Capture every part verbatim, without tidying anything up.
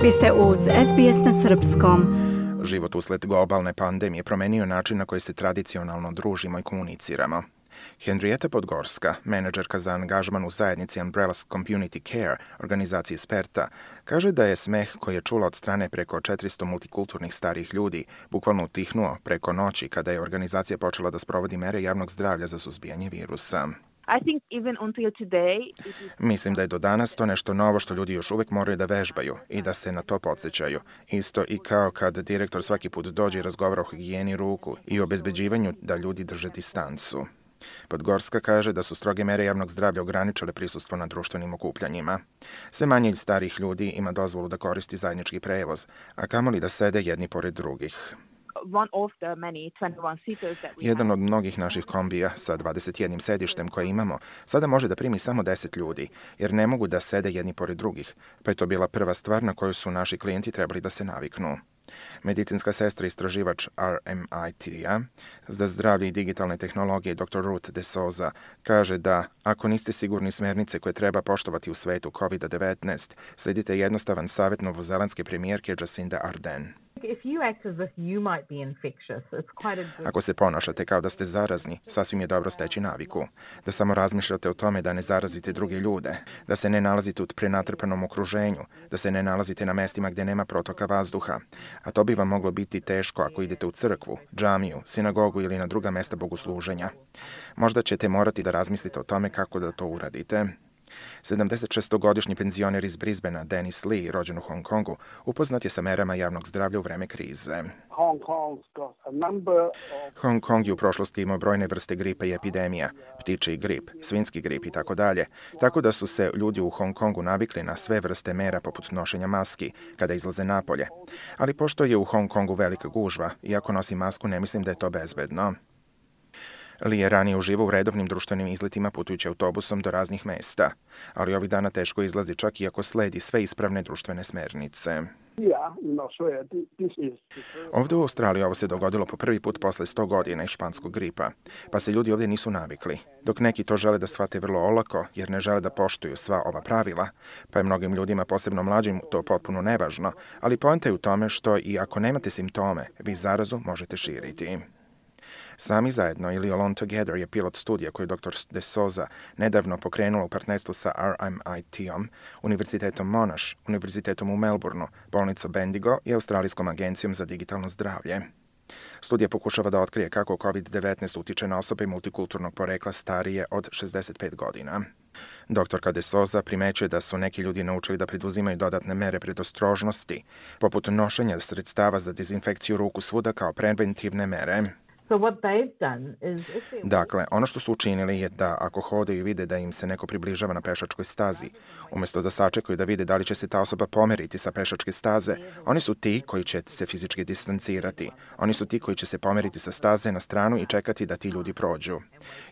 Vi ste uz S B S na srpskom. Život usled globalne pandemije promenio način na koji se tradicionalno družimo i komuniciramo. Henrieta Podgorska, menadžerka za angažman u zajednici Umbrella Community Care, organizaciji Sperta, kaže da je smeh koji je čula od strane preko četiristo multikulturnih starih ljudi bukvalno utihnuo preko noći kada je organizacija počela da sprovodi mere javnog zdravlja za suzbijanje virusa. I think even until today, it is... Mislim da je do danas to nešto novo što ljudi još uvijek moraju da vežbaju i da se na to podsjećaju. Isto i kao kad direktor svaki put dođe i razgovara o higijeni ruku i obezbeđivanju da ljudi drže distancu. Podgorska kaže da su stroge mere javnog zdravlja ograničile prisustvo na društvenim okupljanjima. Sve manje starih ljudi ima dozvolu da koristi zajednički prevoz, a kamoli da sede jedni pored drugih. one of the many twenty-one seaters that we Jedan have. od mnogih naših kombija sa dvadeset jednim sedištem koje imamo sada može da primi samo deset ljudi, jer ne mogu da sede jedni pored drugih, pa je to bila prva stvar na koju su naši klijenti trebali da se naviknu. Medicinska sestra istraživač R M I T-a za zdravlje i digitalne tehnologije doktor Ruth De Souza kaže da ako niste sigurni smjernice koje treba poštovati u svetu kovid devetnaest, sledite jednostavan savjet novozelandske premijerke Jacinda Ardern. If you act as if you might be infectious, it's quite a good... Ako se ponašate kao da ste zarazni, sasvim je dobro steći naviku. Da samo razmišljate o tome da ne zarazite druge ljude, da se ne nalazite u prenatrpanom okruženju, da se ne nalazite na mestima gdje nema protoka vazduha. A to bi vam moglo biti teško ako idete u crkvu, džamiju, sinagogu ili na druga mesta bogosluženja. Možda ćete morati da razmislite o tome kako da to uradite. sedamdesetšestogodišnji penzioner iz Brisbanea Dennis Lee, rođen u Hong Kongu, upoznat je sa merama javnog zdravlja u vreme krize. Hong Kong's got a number of... Hong Kong je u prošlosti imao brojne vrste gripa i epidemija, ptičji grip, svinjski grip i tako dalje, tako da su se ljudi u Hong Kongu navikli na sve vrste mera poput nošenja maski kada izlaze napolje. Ali pošto je u Hong Kongu velika gužva, iako nosi masku ne mislim da je to bezbedno. Li je ranije uživao u redovnim društvenim izletima putujući autobusom do raznih mesta, ali ovih dana teško izlazi čak i ako sledi sve ispravne društvene smernice. Yeah, in Australia, thi- this is... Ovdje u Australiji ovo se dogodilo po prvi put posle sto godina iz španskog gripa, pa se ljudi ovdje nisu navikli. Dok neki to žele da shvate vrlo olako, jer ne žele da poštuju sva ova pravila, pa je mnogim ljudima, posebno mlađim, to potpuno nevažno, ali poenta je u tome što i ako nemate simptome, vi zarazu možete širiti. Sami zajedno ili Alone Together je pilot studija koju doktor De Souza nedavno pokrenula u partnerstvu sa R M I T-om, Univerzitetom Monash, Univerzitetom u Melbourneu, bolnicom Bendigo i Australijskom agencijom za digitalno zdravlje. Studija pokušava da otkrije kako kovid devetnaest utiče na osobe multikulturnog porekla starije od šezdeset pet godina. Doktorka De Souza primećuje da su neki ljudi naučili da preduzimaju dodatne mere predostrožnosti, poput nošenja sredstava za dezinfekciju ruku svuda kao preventivne mere. So what they've done is... if they're- Dakle, ono što su učinili je da ako hodaju i vide da im se neko približava na pešačkoj stazi, umjesto da sačekaju da vide da li će se ta osoba pomeriti sa pešačke staze, oni su ti koji će se fizički distancirati. Oni su ti koji će se pomeriti sa staze na stranu i čekati da ti ljudi prođu.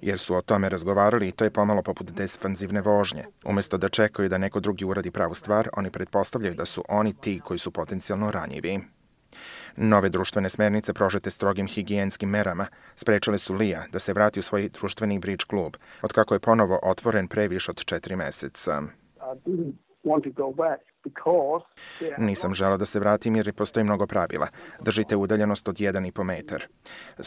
Jer su o tome razgovarali i to je pomalo poput defanzivne vožnje. Umjesto da čekaju da neko drugi uradi pravu stvar, oni pretpostavljaju da su oni ti koji su potencijalno ranjivi. Nove društvene smernice prožete strogim higijenskim merama sprečile su Lija da se vrati u svoj društveni bridge klub, otkako je ponovo otvoren pre više od četiri meseca. I didn't want to go back because... there are Nisam želeo da se vratim jer postoji mnogo pravila. Držite udaljenost od jedan i po metar,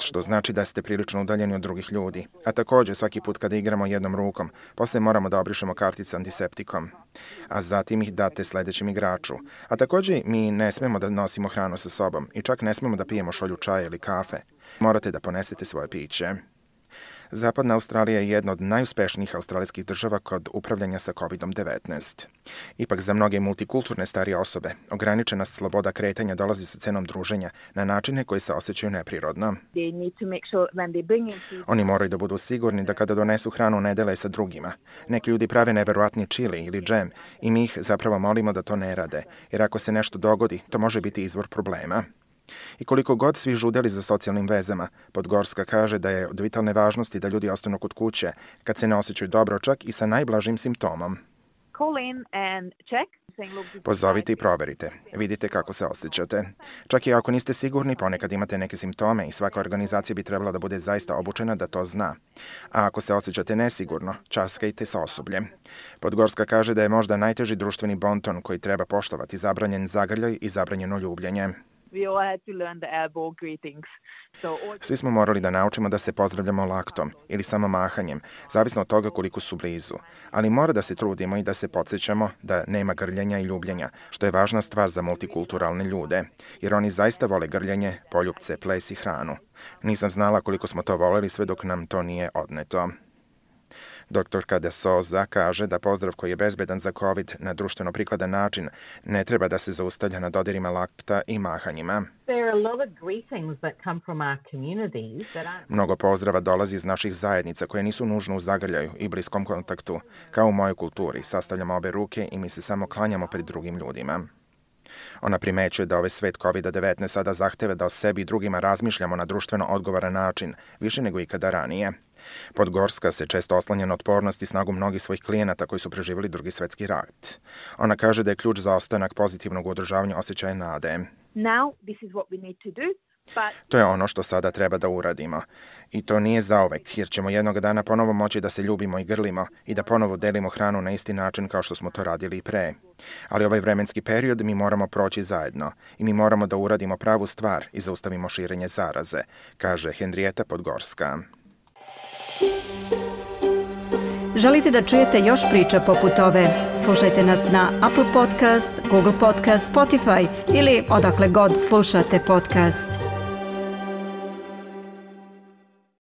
što znači da ste prilično udaljeni od drugih ljudi. A također svaki put kada igramo jednom rukom, posle moramo da obrišemo kartice antiseptikom, a zatim ih date sledećem igraču. A također mi ne smemo da nosimo hranu sa sobom i čak ne smemo da pijemo šolju čaja ili kafe. Morate da ponesete svoje piće. Zapadna Australija je jedna od najuspešnijih australijskih država kod upravljanja sa kovid devetnaest. Ipak za mnoge multikulturne starije osobe, ograničena sloboda kretanja dolazi sa cenom druženja na načine koji se osjećaju neprirodno. They need to make sure when they bring in food, Oni moraju da budu sigurni da kada donesu hranu ne dele sa drugima. Neki ljudi prave neverovatni čili ili džem i mi ih zapravo molimo da to ne rade, jer ako se nešto dogodi, to može biti izvor problema. I koliko god svi žudeli za socijalnim vezama, Podgorska kaže da je od vitalne važnosti da ljudi ostanu kod kuće kad se ne osjećaju dobro čak i sa najblažim simptomom. call in and check. Saying, look, this Pozovite i might be- proverite. Vidite kako se osjećate. Čak i ako niste sigurni, ponekad imate neke simptome i svaka organizacija bi trebala da bude zaista obučena da to zna. A ako se osjećate nesigurno, časkajte sa osobljem. Podgorska kaže da je možda najteži društveni bonton koji treba poštovati zabranjen zagrljaj i zabranjeno ljubljenje. We all had to learn the elbow greetings. So all Svi smo morali da naučimo da se pozdravljamo laktom ili samo mahanjem, zavisno od toga koliko su blizu. Ali mora da se trudimo i da se podsjećamo da nema grljenja i ljubljenja, što je važna stvar za multikulturalne ljude, jer oni zaista vole grljenje, poljupce, ples i hranu. Nisam znala koliko smo to voleli sve dok nam to nije odneto. Doktorka De Souza kaže da pozdrav koji je bezbedan za COVID na društveno prikladan način ne treba da se zaustavlja na dodirima lakta i mahanjima. There are a lot of greetings that come from our communities that aren't Mnogo pozdrava dolazi iz naših zajednica koje nisu nužno u zagrljaju i bliskom kontaktu. Kao u mojoj kulturi, sastavljamo obe ruke i mi se samo klanjamo pred drugim ljudima. Ona primećuje da ovaj svet kovid devetnaest sada zahteva da o sebi i drugima razmišljamo na društveno odgovoran način, više nego ikada ranije. Podgorska se često oslanja na otpornost i snagu mnogih svojih klijenata koji su preživjeli Drugi svjetski rat. Ona kaže da je ključ za ostanak pozitivnog u održavanju osjećaja nade. now this is what we need to do. But To je ono što sada treba da uradimo. I to nije zauvek, jer ćemo jednog dana ponovo moći da se ljubimo i grlimo i da ponovo delimo hranu na isti način kao što smo to radili i pre. Ali ovaj vremenski period mi moramo proći zajedno i mi moramo da uradimo pravu stvar i zaustavimo širenje zaraze, kaže Henrieta Podgorska. Želite da čujete još priča poput ove? Slušajte nas na Apple Podcast, Google Podcast, Spotify ili odakle god slušate podcast.